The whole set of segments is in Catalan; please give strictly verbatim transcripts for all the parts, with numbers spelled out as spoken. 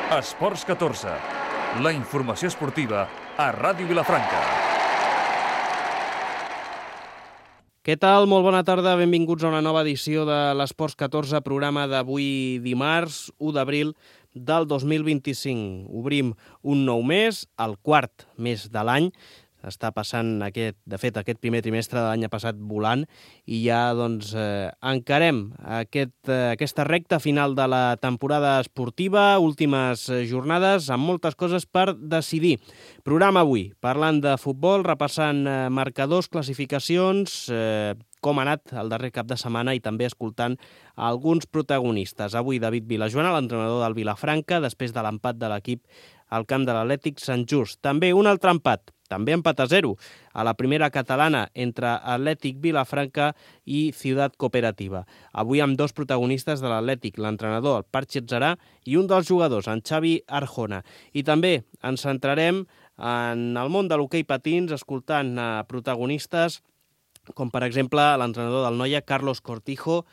Esports catorze, la informació esportiva a Ràdio Vilafranca. Què tal? Molt bona tarda, benvinguts a una nova edició de l'Esports catorze, programa d'avui dimarts, u d'abril del dos mil vint-i-cinc. Obrim un nou mes, el quart mes de l'any. Està passant, aquest, de fet, aquest primer trimestre de l'any passat volant i ja doncs, eh, encarem aquest, eh, aquesta recta final de la temporada esportiva, últimes jornades, amb moltes coses per decidir. Programa avui, parlant de futbol, repassant eh, marcadors, classificacions, eh, com ha anat el darrer cap de setmana i també escoltant alguns protagonistes. Avui David Vilajoana, l'entrenador del Vilafranca, després de l'empat de l'equip al camp de l'Atlètic Sant Just. També un altre empat, també empat a zero, a la primera catalana entre Atlètic Vilafranca i Ciutat Cooperativa. Avui amb dos protagonistes de l'Atlètic, l'entrenador, el Parchi Atzarà, i un dels jugadors, en Xavi Arjona. I també ens centrarem en el món de l'hoquei patins, escoltant a protagonistes com per exemple l'entrenador del Noia, Carlos Cortijo,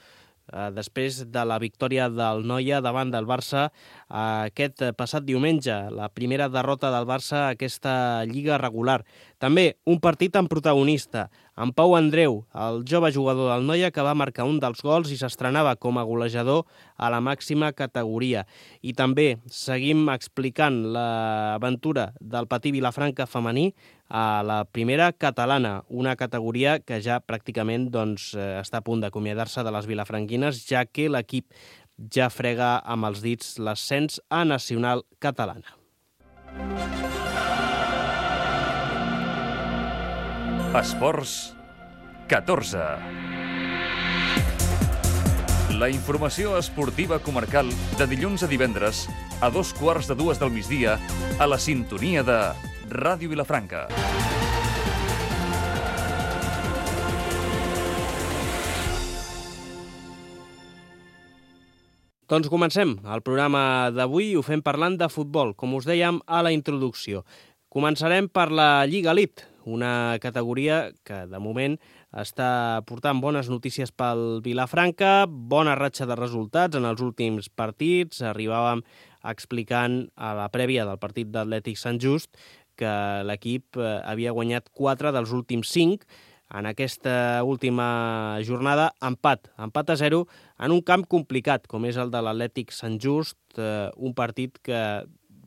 eh, després de la victòria del Noia davant del Barça eh, aquest passat diumenge, la primera derrota del Barça a aquesta lliga regular. També un partit amb protagonista, en Pau Andreu, el jove jugador del Noia que va marcar un dels gols i s'estrenava com a golejador a la màxima categoria. I també seguim explicant l'aventura del Patí Vilafranca femení a la primera catalana, una categoria que ja pràcticament doncs, està a punt d'acomiadar-se de les vilafranquines, ja que l'equip ja frega amb els dits l'ascens a nacional catalana. Esports catorze. La informació esportiva comarcal de dilluns a divendres a dos quarts de dues del migdia a la sintonia de Ràdio Vilafranca. Doncs comencem el programa d'avui i ho fem parlant de futbol, com us dèiem a la introducció. Començarem per la Lliga Elite, una categoria que de moment està portant bones notícies pel Vilafranca, bona ratxa de resultats en els últims partits. Arribàvem explicant a la prèvia del partit d'Atlètic Sant Just que l'equip havia guanyat quatre dels últims cinc. En aquesta última jornada, empat, empat a zero en un camp complicat, com és el de l'Atlètic Sant Just, eh, un partit que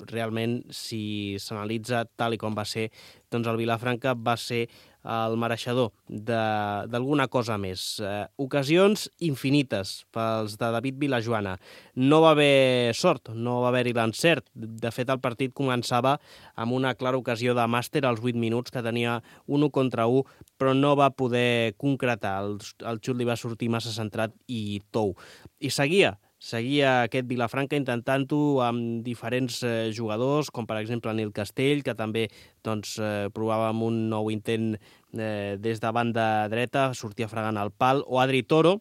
realment, si s'analitza tal i com va ser, doncs el Vilafranca va ser el mereixedor d'alguna cosa més. Eh, ocasions infinites pels de David Vilajoana. No va haver sort, no va haver-hi l'encert. De fet, el partit començava amb una clara ocasió de màster als vuit minuts, que tenia un u contra u, però no va poder concretar. El, el xut li va sortir massa centrat i tou. I seguia, seguia aquest Vilafranca intentant-ho amb diferents eh, jugadors, com per exemple Nil Castell, que també doncs, eh, provava amb un nou intent eh, des de banda dreta, sortia fregant el pal, o Adri Toro,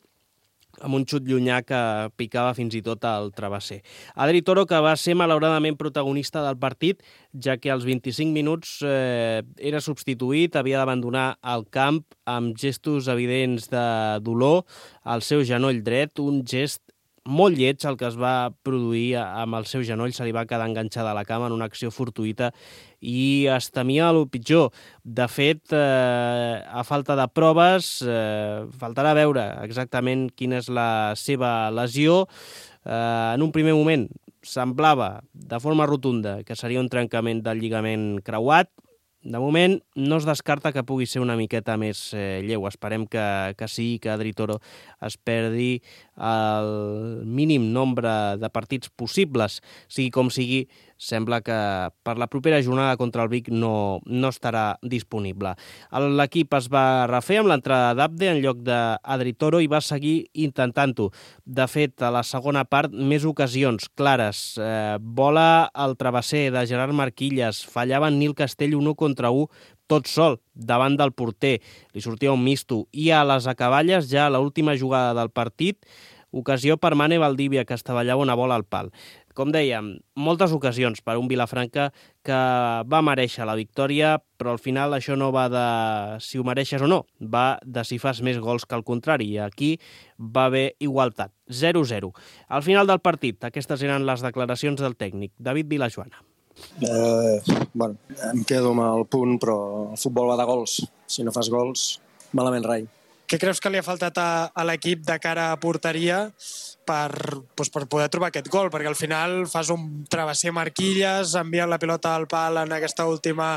amb un xut llunyà que picava fins i tot al travesser. Adri Toro, que va ser malauradament protagonista del partit, ja que als vint-i-cinc minuts eh, era substituït, havia d'abandonar el camp amb gestos evidents de dolor al seu genoll dret, un gest molt lleig el que es va produir amb el seu genoll, se li va quedar enganxada a la cama en una acció fortuïta i es temia el pitjor. De fet, eh, a falta de proves, eh, faltarà veure exactament quina és la seva lesió. Eh, en un primer moment semblava de forma rotunda que seria un trencament del lligament creuat. De moment no es descarta que pugui ser una miqueta més eh, lleu. Esperem que, que sí, que Adri Toro es perdi el mínim nombre de partits possibles. Sigui com sigui, sembla que per la propera jornada contra el Vic no, no estarà disponible. L'equip es va refer amb l'entrada d'Abde en lloc d'Adri Toro i va seguir intentant-ho. De fet, a la segona part, més ocasions clares. Eh, bola al travesser de Gerard Marquilles, fallava en Nil Castell un u contra u, tot sol, davant del porter. Li sortia un misto. I a les acaballes, ja a l'última jugada del partit, ocasió per Mane Valdivia, que estavellava una bola al pal. Com dèiem, moltes ocasions per un Vilafranca que va mereixer la victòria, però al final això no va de si ho mereixes o no, va de si fas més gols que el contrari, i aquí va haver igualtat, zero a zero. Al final del partit, aquestes eren les declaracions del tècnic, David Vilajoana. Eh, bueno, em quedo amb el punt, però el futbol va de gols. Si no fas gols, malament rai. Què creus que li ha faltat a, a l'equip de cara a porteria per, doncs per poder trobar aquest gol? Perquè al final fas un travesser Marquilles, envia la pilota al pal en aquesta última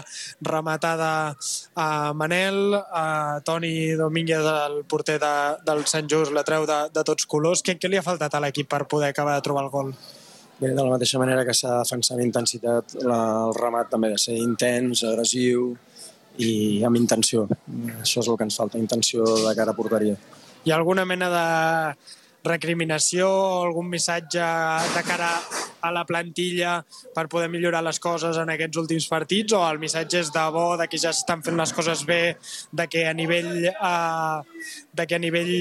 rematada a Manel, a Toni Domínguez, el porter de, del Sant Just, la treu de, de tots colors. Què, què li ha faltat a l'equip per poder acabar de trobar el gol? Bé, de la mateixa manera que s'ha defensat amb intensitat, la, el remat també ha de ser intens, agressiu i amb intenció. Això és el que ens falta, intenció de cara a porteria. Hi ha alguna mena de recriminació o algun missatge de cara a la plantilla per poder millorar les coses en aquests últims partits, o el missatge és de bo, de que ja s'estan fent les coses bé, de que a nivell, eh, de que a nivell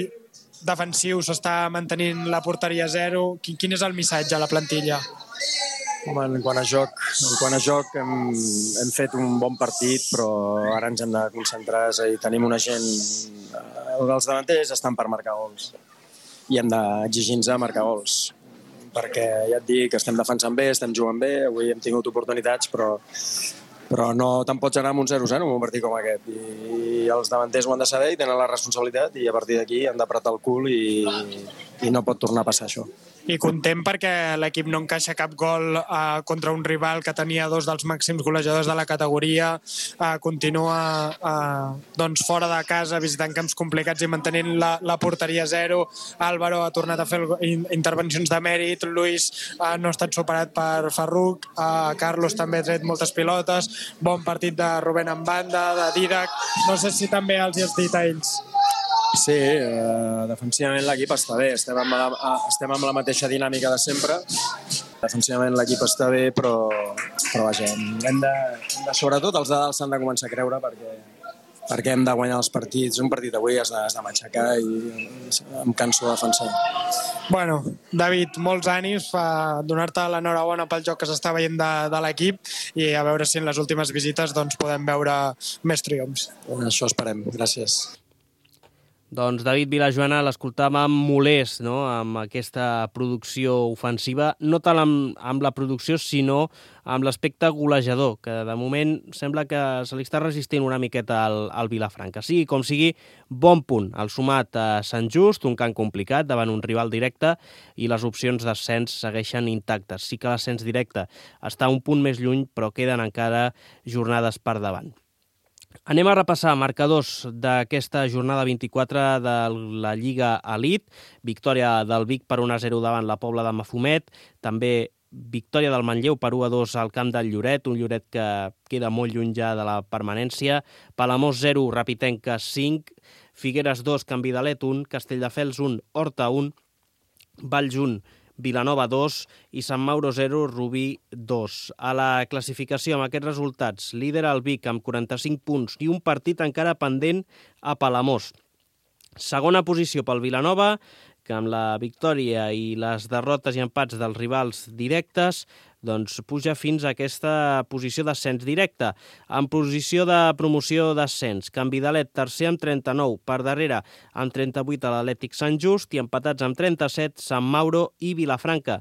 defensiu s'està mantenint la porteria a zero? Quin, quin és el missatge a la plantilla? Home, en quant a joc, en quant a joc hem, hem fet un bon partit, però ara ens hem de concentrar, és a dir, tenim una gent... Els davanters estan per marcar gols i hem d'exigir-nos a marcar gols, perquè ja et dic que estem defensant bé, estem jugant bé, avui hem tingut oportunitats, però, però no te'n pots anar amb un zero a zero en un partit com aquest. I els davanters ho han de saber i tenen la responsabilitat, i a partir d'aquí han d'apretar el cul i, i no pot tornar a passar això. I content perquè l'equip no encaixa cap gol eh, contra un rival que tenia dos dels màxims golejadors de la categoria, eh, continua eh, doncs fora de casa visitant camps complicats i mantenint la, la porteria a zero. Álvaro ha tornat a fer el, intervencions de mèrit, Luis eh, no ha estat superat per Ferruc, eh, Carlos també ha tret moltes pilotes, bon partit de Rubén en banda, de Didac, no sé si també els hi has dit a ells. Sí, eh, defensivament l'equip està bé, estem amb, la, estem amb la mateixa dinàmica de sempre. Defensivament l'equip està bé, però, però vaja, hem de, hem de, sobretot els de dalt s'han de començar a creure perquè, perquè hem de guanyar els partits. Un partit avui has de, has de matxacar i em canso de defensar. Bueno, David, molts ànims, per donar-te l'enhorabona pel joc que s'està veient de, de l'equip, i a veure si en les últimes visites doncs, podem veure més triomfs. Això esperem, gràcies. Doncs David Vilajoana l'escoltàvem molest, no?, amb aquesta producció ofensiva, no tant amb, amb la producció, sinó amb l'aspecte golejador, que de moment sembla que se li està resistint una miqueta al, al Vilafranca. Sigui com sigui, bon punt. El sumat a Sant Just, un camp complicat davant un rival directe, i les opcions d'ascens segueixen intactes. Sí que l'ascens directe està un punt més lluny, però queden encara jornades per davant. Anem a repassar marcadors d'aquesta jornada vint-i-quatre de la Lliga Elite. Victòria del Vic per un a zero davant la Pobla de Mafumet. També victòria del Manlleu per u a dos al camp del Lloret, un Lloret que queda molt lluny ja de la permanència. Palamós zero, Rapitenca cinc, Figueres dos, Can Vidalet un, Castelldefels un, Horta un, Valls un, Vilanova dos i Sant Mauro zero, Rubí dos. A la classificació, amb aquests resultats, líder el Vic amb quaranta-cinc punts i un partit encara pendent a Palamós. Segona posició pel Vilanova, que amb la victòria i les derrotes i empats dels rivals directes doncs puja fins a aquesta posició d'ascens directe. En posició de promoció d'ascens, Can Vidalet tercer amb trenta-nou, per darrere amb trenta-vuit a l'Atlètic Sant Just i empatats amb trenta-set Sant Mauro i Vilafranca.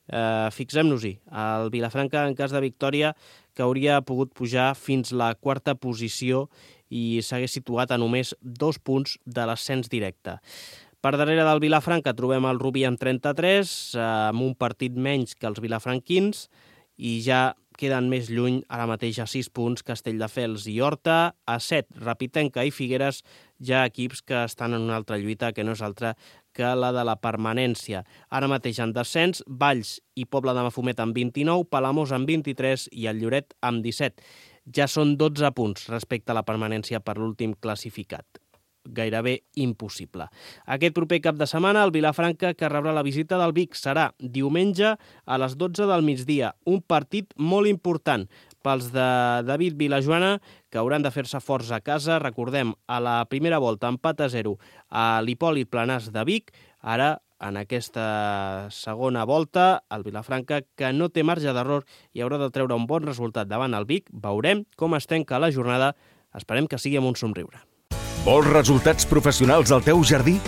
Eh, Fixem-nos-hi, el Vilafranca en cas de victòria que hauria pogut pujar fins la quarta posició i s'hagués situat a només dos punts de l'ascens directe. Per darrere del Vilafranca trobem el Rubí amb trenta-tres, amb un partit menys que els vilafranquins, i ja queden més lluny ara mateix a sis punts Castelldefels i Horta, a set Rapitenca i Figueres, ja equips que estan en una altra lluita que no és altra que la de la permanència. Ara mateix en descens, Valls i Pobla de Mafumet amb vint-i-nou, Palamós amb vint-i-tres i el Lloret amb disset. Ja són dotze punts respecte a la permanència per l'últim classificat. Gairebé impossible. Aquest proper cap de setmana, el Vilafranca, que rebrà la visita del Vic, serà diumenge a les dotze del migdia. Un partit molt important pels de David Vilajoana, que hauran de fer-se forts a casa. Recordem, a la primera volta, empat a zero a l'Hipòlit Planàs de Vic. Ara en aquesta segona volta. El Vilafranca, que no té marge d'error i haurà de treure un bon resultat davant el Vic. Veurem com es tanca la jornada. Esperem que sigui amb un somriure. Vols resultats professionals al teu jardí?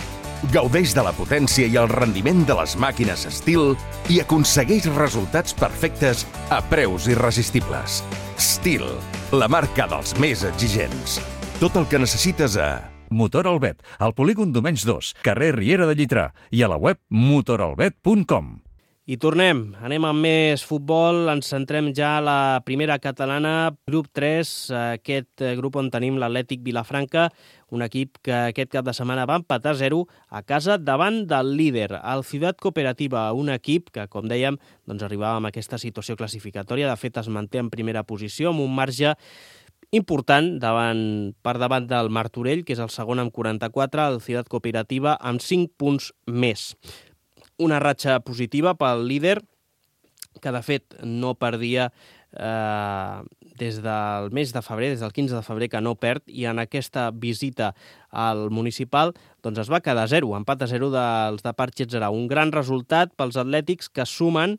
Gaudeix de la potència i el rendiment de les màquines Stihl i aconsegueix resultats perfectes a preus irresistibles. Stihl, la marca dels més exigents. Tot el que necessites a... Motor Albet, al polígon Domenys dos, carrer Riera de Llitrà i a la web motor albet punt com. I tornem, anem amb més futbol, ens centrem ja a la primera catalana, grup tres, aquest grup on tenim l'Atlètic Vilafranca, un equip que aquest cap de setmana va empatar a zero a casa davant del líder, el Ciutat Cooperativa, un equip que, com dèiem, doncs arribava amb aquesta situació classificatòria, de fet es manté en primera posició amb un marge important davant, per davant del Martorell, que és el segon amb quaranta-quatre, el Ciutat Cooperativa amb cinc punts més. Una ratxa positiva pel líder, que de fet no perdia eh, des del mes de febrer, des del quinze de febrer que no perd, i en aquesta visita al municipal doncs es va quedar a zero, empat a zero dels de Parc-Getserà. Un gran resultat pels atlètics que sumen,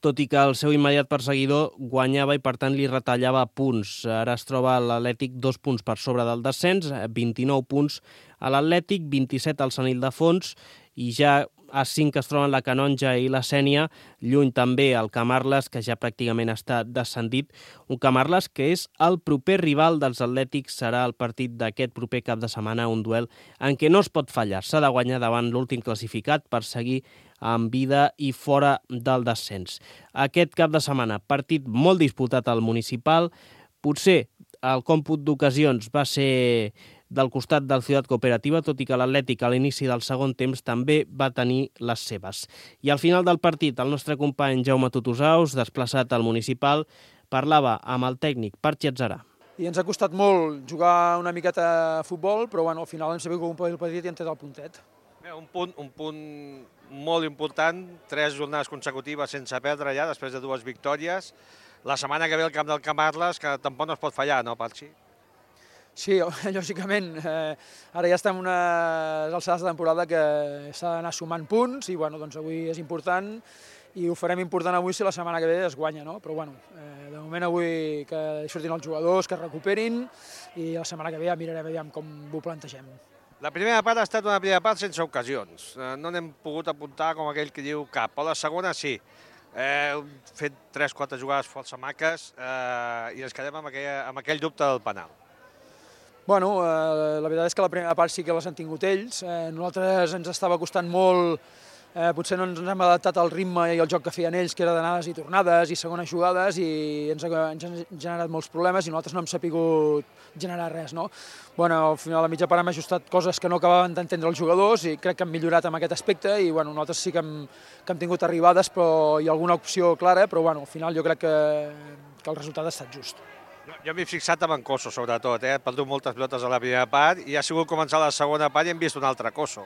tot i que el seu immediat perseguidor guanyava i per tant li retallava punts. Ara es troba l'Atlètic dos punts per sobre del descens, vint-i-nou punts a l'Atlètic, vint-i-set al Sant Ildefons, i ja a cinc es troben la Canonja i la Sénia, lluny també el Camarles, que ja pràcticament està descendit. Un Camarles que és el proper rival dels Atlètics, serà el partit d'aquest proper cap de setmana, un duel en què no es pot fallar. S'ha de guanyar davant l'últim classificat per seguir amb vida i fora del descens. Aquest cap de setmana, partit molt disputat al municipal, potser el còmput d'ocasions va ser del costat del Ciutat Cooperativa, tot i que l'Atlètic a l'inici del segon temps també va tenir les seves. I al final del partit, el nostre company Jaume Tutusaus, desplaçat al municipal, parlava amb el tècnic Parc-Getserà. I ens ha costat molt jugar una miqueta a futbol, però bueno, al final hem sabut que un partit i hem tret el puntet. Un punt, un punt molt important, tres jornades consecutives sense perdre ja, després de dues victòries. La setmana que ve al camp del Camarles, que tampoc no es pot fallar, no, Parxi? Sí, lògicament. Eh, ara ja estem en unes alçades de temporada que s'ha d'anar sumant punts i bueno, doncs avui és important i ho farem important avui si la setmana que ve es guanya, no? Però bueno, eh, de moment avui que surtin els jugadors, que es recuperin i la setmana que ve ja mirarem aviam com ho plantegem. La primera part ha estat una primera part sense ocasions. No n'hem pogut apuntar com aquell que diu cap. Però la segona sí. Eh, hem fet tres o quatre jugades força maques eh, i ens quedem amb, aquella, amb aquell dubte del penal. Bueno, eh, la veritat és que la primera part sí que les han tingut ells. Eh, nosaltres ens estava costant molt, eh, potser no ens hem adaptat al ritme i al joc que feien ells, que era d'anades i tornades i segones jugades, i ens, ha, ens han generat molts problemes i nosaltres no hem sapigut generar res, no? Bueno, al final, a mitja part hem ajustat coses que no acabaven d'entendre els jugadors i crec que hem millorat en aquest aspecte i bueno, nosaltres sí que hem, que hem tingut arribades però hi ha alguna opció clara, però bueno, al final jo crec que, que el resultat ha estat just. Jo m'he fixat amb en Cosso, sobretot. Eh? He perdut moltes pilotes a la primera part i ha sigut començar la segona part i hem vist un altre Cosso.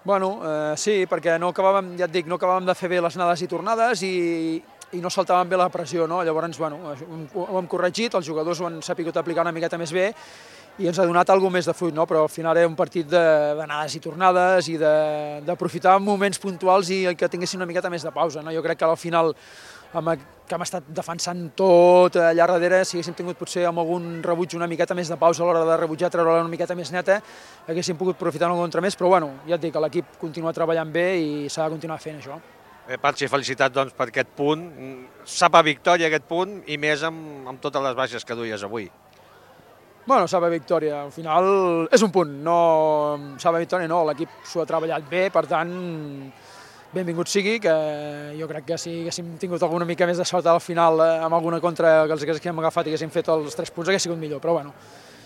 Bueno, eh, sí, perquè no acabàvem, ja et dic, no acabàvem de fer bé les anades i tornades i, i no saltàvem bé la pressió, no? Llavors, bueno, ho hem corregit, els jugadors ho han sapigut aplicar una miqueta més bé i ens ha donat alguna més de fruit, no? Però al final era un partit d'anades i tornades i d'aprofitar moments puntuals i que tinguessin una miqueta més de pausa, no? Jo crec que al final amb, que hem estat defensant tot allà darrere, si haguéssim tingut potser amb algun rebuig una miqueta més de pausa a l'hora de rebutjar, treure-la una miqueta més neta, haguéssim pogut aprofitar una contra més, però bueno, ja et dic que l'equip continua treballant bé i s'ha de continuar fent això. Bé, Patxi, felicitats doncs, per aquest punt. Sap a victòria aquest punt i més amb, amb totes les baixes que duies avui. Bueno, sap a victòria, al final és un punt, no sap a victòria no, l'equip s'ho ha treballat bé, per tant, benvingut sigui, que jo crec que si haguéssim tingut alguna mica més de sort al final amb alguna contra que els haguéssim agafat i haguéssim fet els tres punts hagués sigut millor, però bueno,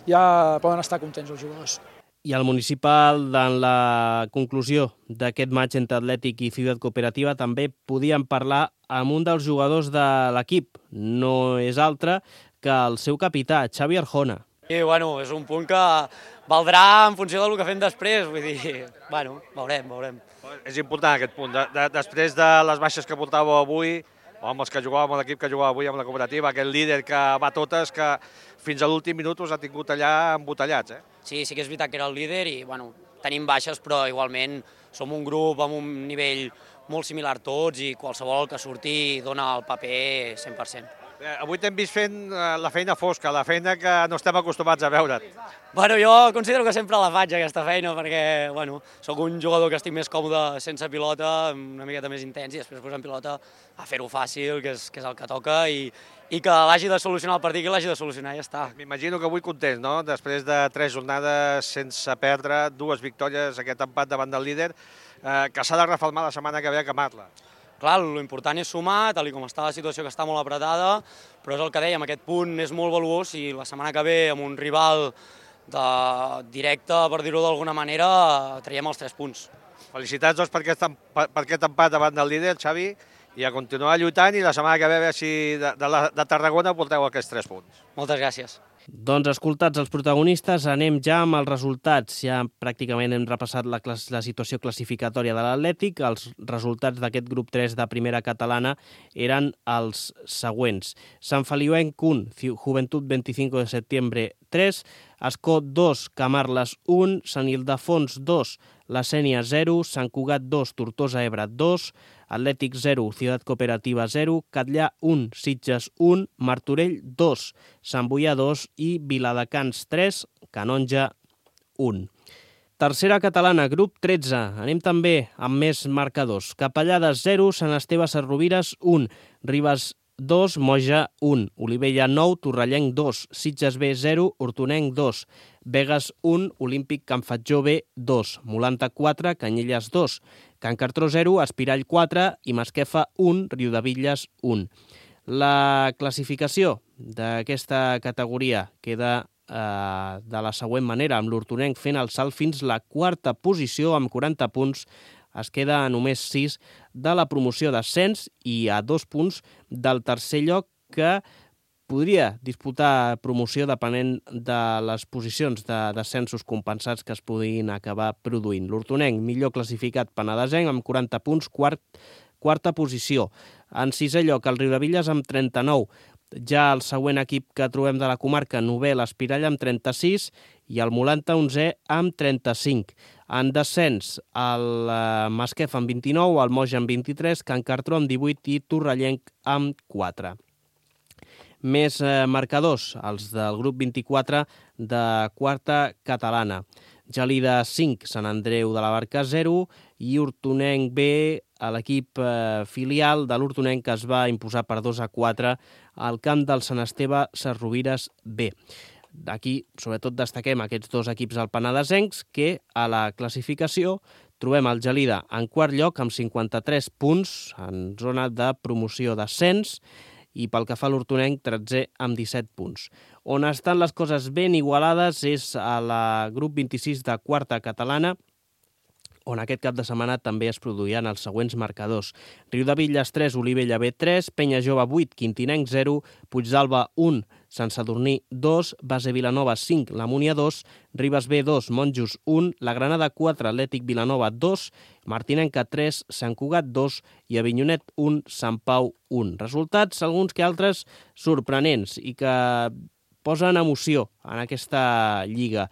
ja poden estar contents els jugadors. I el municipal, en la conclusió d'aquest maig entre Atlètic i Ciutat Cooperativa, també podíem parlar amb un dels jugadors de l'equip, no és altre que el seu capità, Xavi Arjona. I bueno, és un punt que valdrà en funció del que fem després, vull dir, bueno, veurem, veurem. És important aquest punt. De, de, després de les baixes que portàveu avui, o amb els que jugàvem a l'equip que jugava avui amb la cooperativa, aquest líder que va a totes, que fins a l'últim minut us ha tingut allà embotellats, eh? Sí, sí que és veritat que era el líder i, bueno, tenim baixes, però igualment som un grup amb un nivell molt similar tots i qualsevol que surti dona el paper cent per cent. Eh, avui t'hem vist fent eh, la feina fosca, la feina que no estem acostumats a veure't. Bueno, jo considero que sempre la faig, aquesta feina, perquè bueno, sóc un jugador que estic més còmode sense pilota, una miqueta més intens, i després posant pilota a fer-ho fàcil, que és, que és el que toca, i, i que l'hagi de solucionar el partit, que l'hagi de solucionar, i ja està. M'imagino que avui content, no? Després de tres jornades sense perdre, dues victòries, aquest empat davant del líder, eh, que s'ha de reformar la setmana que ve a Camarla. Clar, l'important és sumar, tal com està la situació, que està molt apretada, però és el que dèiem, aquest punt és molt valuós i la setmana que ve, amb un rival de directe, per dir-ho d'alguna manera, traiem els tres punts. Felicitats doncs, per, aquest, per aquest empat davant del líder, Xavi, i a continuar lluitant, i la setmana que ve, a veure si de, de, la, de Tarragona porteu aquests tres punts. Moltes gràcies. Doncs escoltats els protagonistes, anem ja amb els resultats. Ja pràcticament hem repassat la, la situació classificatòria de l'Atlètic. Els resultats d'aquest grup tres de primera catalana eren els següents. Sant Feliuenc un, Juventud veinticinco de septiembre tres, Ascó dos, Camarles un, Sant Ildefons dos, La Sénia zero, Sant Cugat dos, Tortosa Ebre dos, Atlètic zero, Ciutat Cooperativa zero, Catllà un, Sitges un, Martorell dos, Sant Boià dos i Viladecans tres, Canonja un. Tercera catalana, grup tretze. Anem també amb més marcadors. Capellades zero, Sant Esteve Sesrovires un, Ribes dos, Moja un, Olivella nou, Torrellenc dos, Sitges B zero, Hortonenc dos, Begues un, Olímpic Can Fatjó B dos, Molanta quatre, Canyelles dos, Can Cartró zero, Espirall quatre i Masquefa un, Riudebitlles un. La classificació d'aquesta categoria queda eh, de la següent manera, amb l'Hortonenc fent el salt fins la quarta posició amb quaranta punts, es queda a només sis de la promoció d'ascens i a dos punts del tercer lloc, que podria disputar promoció depenent de les posicions de descensos compensats que es puguin acabar produint. L'Hortonenc, millor classificat penedesenc, amb quaranta punts, quart, quarta posició. En sisè lloc, el Riudebitlles amb trenta-nou. Ja el següent equip que trobem de la comarca, novè, l'Espirall amb trenta-sis i el Molanta onzè amb trenta-cinc. En descens, el Masquef amb vint-i-nou, el Moja amb vint-i-tres, Can Cartró amb divuit i Torrellenc amb quatre. Més eh, marcadors, els del grup vint-i-quatre de quarta catalana. Gelida cinc, Sant Andreu de la Barca zero i Hortonenc B, l'equip eh, filial de l'Hortonenc, que es va imposar per dos a quatre al camp del Sant Esteve Sesrovires B. D'aquí, sobretot, destaquem aquests dos equips alpenedesencs, que a la classificació trobem el Gelida en quart lloc amb cinquanta-tres punts en zona de promoció d'ascens, i pel que fa a l'Hortonenc, tretzè amb disset punts. On estan les coses ben igualades és a la grup vint-i-sis de quarta catalana, on aquest cap de setmana també es produiran els següents marcadors. Riudebitlles tres, Olivella B tres, Penya Jove vuit, Quintinenc zero, Puigdàlber un, Sant Sadurní dos, Base Vilanova cinc, La Múnia dos, Ribes B dos, Monjos un, La Granada quatre, Atlètic Vilanova dos, Martinenca tres, Sant Cugat dos i Avinyonet un, Sant Pau un. Resultats, alguns que altres, sorprenents i que posen emoció en aquesta lliga.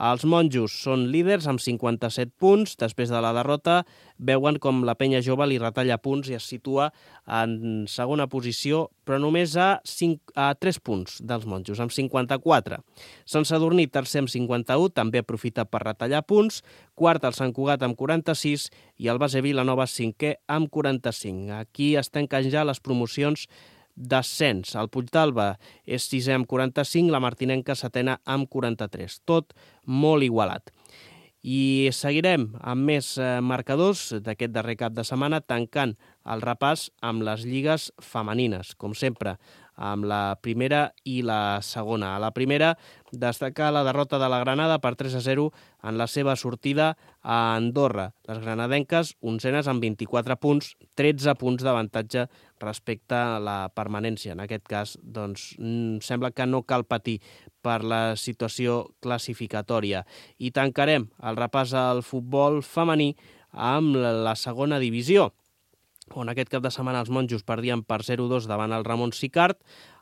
Els monjos són líders amb cinquanta-set punts. Després de la derrota, veuen com la Penya Jove li retalla punts i es situa en segona posició, però només a, cinc, a tres punts dels monjos, amb cinquanta-quatre. Sant Sadurní, tercer amb cinquanta-u, també aprofita per retallar punts. Quart, el Sant Cugat amb quaranta-sis i el Base Vilanova cinquè amb quaranta-cinc. Aquí es tanquen ja les promocions d'ascens. El Puigdàlber és sisè amb quaranta-cinc, la Martinenca setena amb quaranta-tres. Tot molt igualat. I seguirem amb més marcadors d'aquest darrer cap de setmana, tancant el repàs amb les lligues femenines, com sempre, amb la primera i la segona. A la primera, destacar la derrota de la Granada per tres a zero en la seva sortida a Andorra. Les granadenques, onzenes amb vint-i-quatre punts, tretze punts d'avantatge respecte a la permanència. En aquest cas, doncs, sembla que no cal patir per la situació classificatòria. I tancarem el repàs al futbol femení amb la segona divisió. on aquest cap de setmana els monjos perdien per zero a dos davant el Ramon Sicart,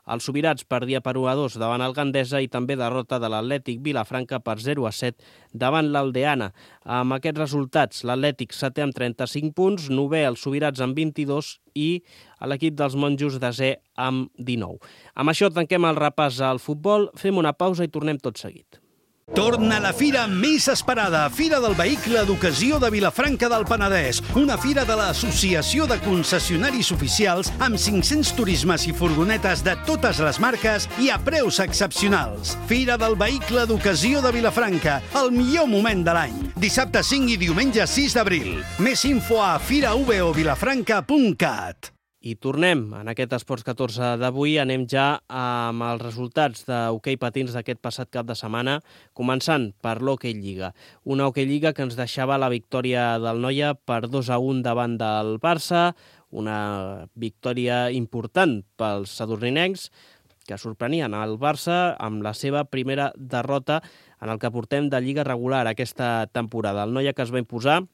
el Subirats perdia per u a dos davant el Gandesa i també derrota de l'Atlètic Vilafranca per zero a set davant l'Aldeana. Amb aquests resultats, l'Atlètic setè amb trenta-cinc punts, novè el Subirats amb vint-i-dos i l'equip dels monjos desè amb dinou. Amb això tanquem el repàs al futbol, fem una pausa i tornem tot seguit. Torna la fira més esperada, Fira del Vehicle d'Ocasió de Vilafranca del Penedès, una fira de l'Associació de Concessionaris Oficials amb cinc-cents turismes i furgonetes de totes les marques i a preus excepcionals. Fira del Vehicle d'Ocasió de Vilafranca, el millor moment de l'any. Dissabte cinc i diumenge sis d'abril. Més info a fira v o vilafranca punt cat. I tornem en aquest Esports catorze d'avui. Anem ja amb els resultats d'hoquei patins d'aquest passat cap de setmana, començant per l'Hoquei Lliga. Una Hoquei Lliga que ens deixava la victòria del Noia per dos a un davant del Barça, una victòria important pels sadurninencs, que sorprenien el Barça amb la seva primera derrota en el que portem de Lliga regular aquesta temporada. El Noia que es va imposar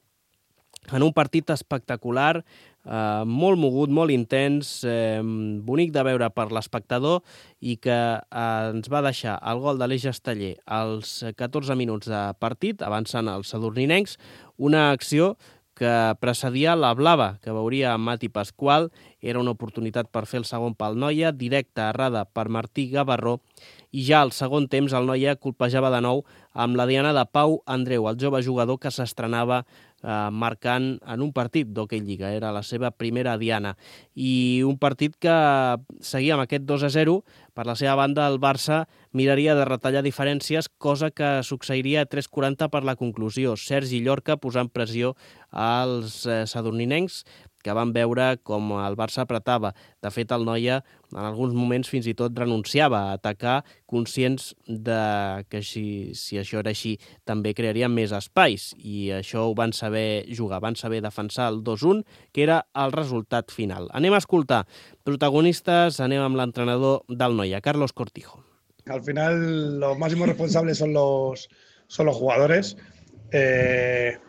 en un partit espectacular, eh, molt mogut, molt intens, eh, bonic de veure per l'espectador i que eh, ens va deixar el gol de l'Eix Esteller als catorze minuts de partit, avançant els sadurninencs, una acció que precedia la blava que veuria Mati Pasqual. Era una oportunitat per fer el segon pel Noia, directa errada per Martí Gavarró, i ja al segon temps el Noia colpejava de nou amb la diana de Pau Andreu, el jove jugador que s'estrenava eh, marcant en un partit d'Hoquei Lliga. Era la seva primera diana. I un partit que seguia amb aquest dos a zero. Per la seva banda, el Barça miraria de retallar diferències, cosa que succeiria a tres quaranta per la conclusió. Sergi Llorca posant pressió als eh, sadurninencs, que van veure com el Barça apretava. De fet, el Noia en alguns moments fins i tot renunciava a atacar, conscients de que si, si això era així també crearien més espais, i això ho van saber jugar, van saber defensar el dos a un, que era el resultat final. Anem a escoltar protagonistes, anem amb l'entrenador del Noia, Carlos Cortijo. Al final los máximos responsables son los, son los jugadores. Eh...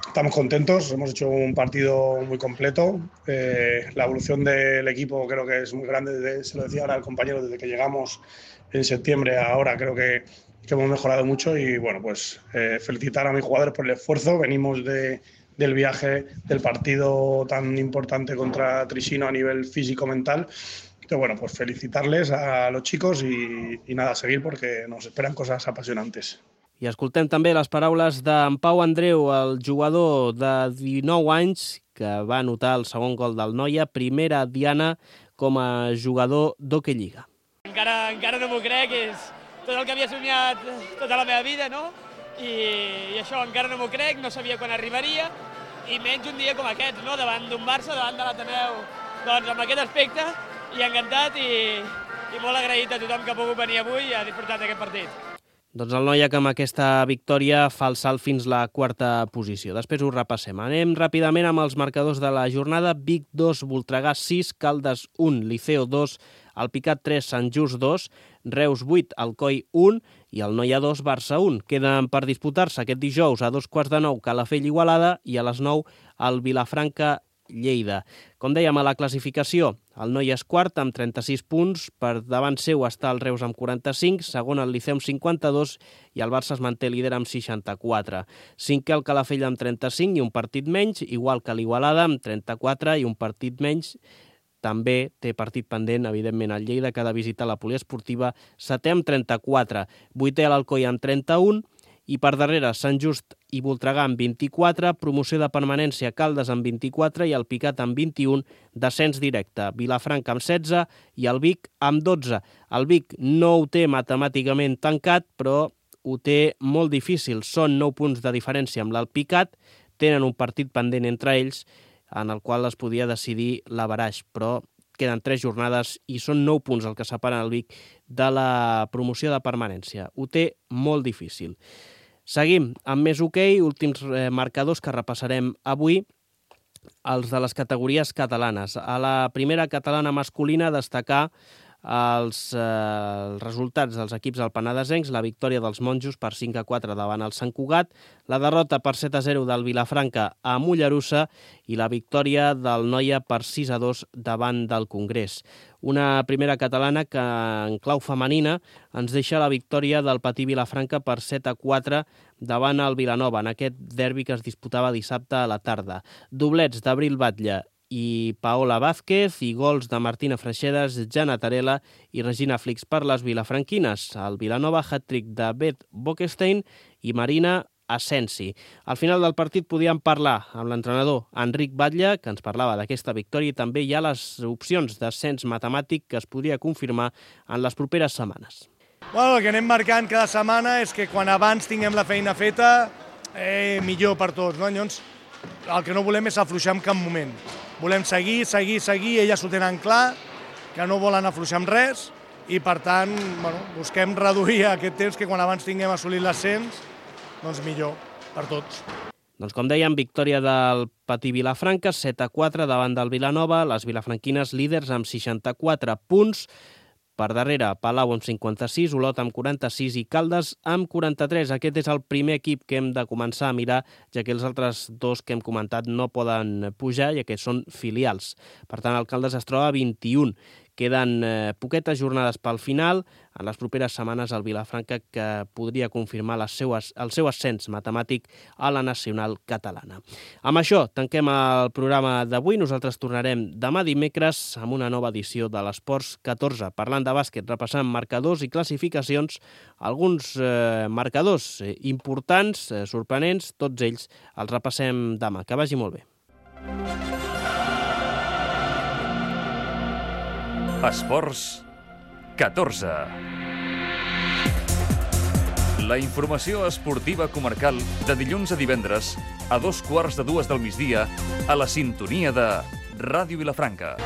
Estamos contentos, hemos hecho un partido muy completo. Eh, la evolución del equipo creo que es muy grande, desde, se lo decía ahora al compañero, desde que llegamos en septiembre a ahora creo que, que hemos mejorado mucho y bueno, pues eh, felicitar a mis jugadores por el esfuerzo. Venimos de, del viaje, del partido tan importante contra Trisino a nivel físico-mental. Entonces, bueno, pues felicitarles a los chicos y, y nada, seguir porque nos esperan cosas apasionantes. I escoltem també les paraules d'en Pau Andreu, el jugador de dinou anys, que va anotar el segon gol del Noia, primera diana com a jugador d'Hoquei Lliga. Encara, encara no m'ho crec, és tot el que havia somiat tota la meva vida, no? I, i això encara no m'ho crec, no sabia quan arribaria, i menys un dia com aquest, no? Davant d'un Barça, davant de l'Ateneu, doncs amb aquest aspecte, i encantat i, i molt agraït a tothom que ha pogut venir avui i ha disfrutat d'aquest partit. Doncs el Noia que amb aquesta victòria fa el salt fins la quarta posició. Després ho repassem. Anem ràpidament amb els marcadors de la jornada. Vic dos, Voltregà sis, Caldes un, Liceo dos, Alpicat tres, Sant Just dos, Reus vuit, Alcoi un i el Noia dos, Barça un. Queden per disputar-se aquest dijous a dos quarts de nou Calafell Igualada i a les nou el Vilafranca Lleida. Com dèiem, a la classificació, el Noia és quart amb trenta-sis punts, per davant seu està el Reus amb quaranta-cinc, segon el Liceu amb cinquanta-dos i el Barça es manté líder amb seixanta-quatre. Cinquè el Calafell amb trenta-cinc i un partit menys, igual que l'Igualada amb trenta-quatre i un partit menys. També té partit pendent, evidentment, el Lleida, que ha de visitar la poliesportiva, setè amb trenta-quatre, vuitè l'Alcoi amb trenta-un, i per darrere Sant Just i Voltregà amb vint-i-quatre, promoció de permanència Caldes amb vint-i-quatre i el Picat amb vint-i-un, descens directe Vilafranca amb setze i el Vic amb dotze. El Vic no ho té matemàticament tancat, però ho té molt difícil. Són nou punts de diferència amb l'Alpicat, tenen un partit pendent entre ells en el qual es podia decidir l'averaix, però queden tres jornades i són nou punts el que separen el Vic de la promoció de permanència. Ho té molt difícil. Seguim amb més hoquei, últims eh, marcadors que repassarem avui, els de les categories catalanes. A la primera catalana masculina destacar els, eh, els resultats dels equips alpenadesencs, la victòria dels monjos per cinc a quatre davant el Sant Cugat, la derrota per set a zero del Vilafranca a Mollerussa i la victòria del Noia per sis a dos davant del Congrés. Una primera catalana que en clau femenina ens deixa la victòria del Patí Vilafranca per set a quatre davant el Vilanova, en aquest derbi que es disputava dissabte a la tarda. Doblets d'Abril Batlle i Paola Vázquez i gols de Martina Freixedas, Jana Tarela i Regina Flix per les vilafranquines. El Vilanova, hat-trick de Beth Bockestein i Marina Asensi. Al final del partit podíem parlar amb l'entrenador Enric Batlle, que ens parlava d'aquesta victòria, i també hi ha les opcions d'ascens matemàtic que es podria confirmar en les properes setmanes. Bueno, el que anem marcant cada setmana és que quan abans tinguem la feina feta, eh, millor per tots, no? Llavors, el que no volem és afluixar en cap moment. Volem seguir, seguir, seguir, elles ho tenen clar, que no volen afluixar amb res, i per tant, bueno, busquem reduir aquest temps que quan abans tinguem assolit l'ascens, doncs millor per tots. Doncs com dèiem, victòria del Patí Vilafranca, set a quatre davant del Vilanova, les vilafranquines líders amb seixanta-quatre punts, per darrere Palau amb cinquanta-sis, Olot amb quaranta-sis i Caldes amb quaranta-tres. Aquest és el primer equip que hem de començar a mirar, ja que els altres dos que hem comentat no poden pujar, ja que són filials. Per tant, el Caldes es troba a vint-i-un. Queden eh, poquetes jornades pel final. En les properes setmanes el Vilafranca que podria confirmar les seues, el seu ascens matemàtic a la nacional catalana. Amb això tanquem el programa d'avui. Nosaltres tornarem demà dimecres amb una nova edició de l'Esports catorze, parlant de bàsquet, repassant marcadors i classificacions, alguns eh, marcadors eh, importants, eh, sorprenents, tots ells els repassem demà. Que vagi molt bé. Esports catorze. La informació esportiva comarcal de dilluns a divendres a dos quarts de dues del migdia a la sintonia de Ràdio Vilafranca.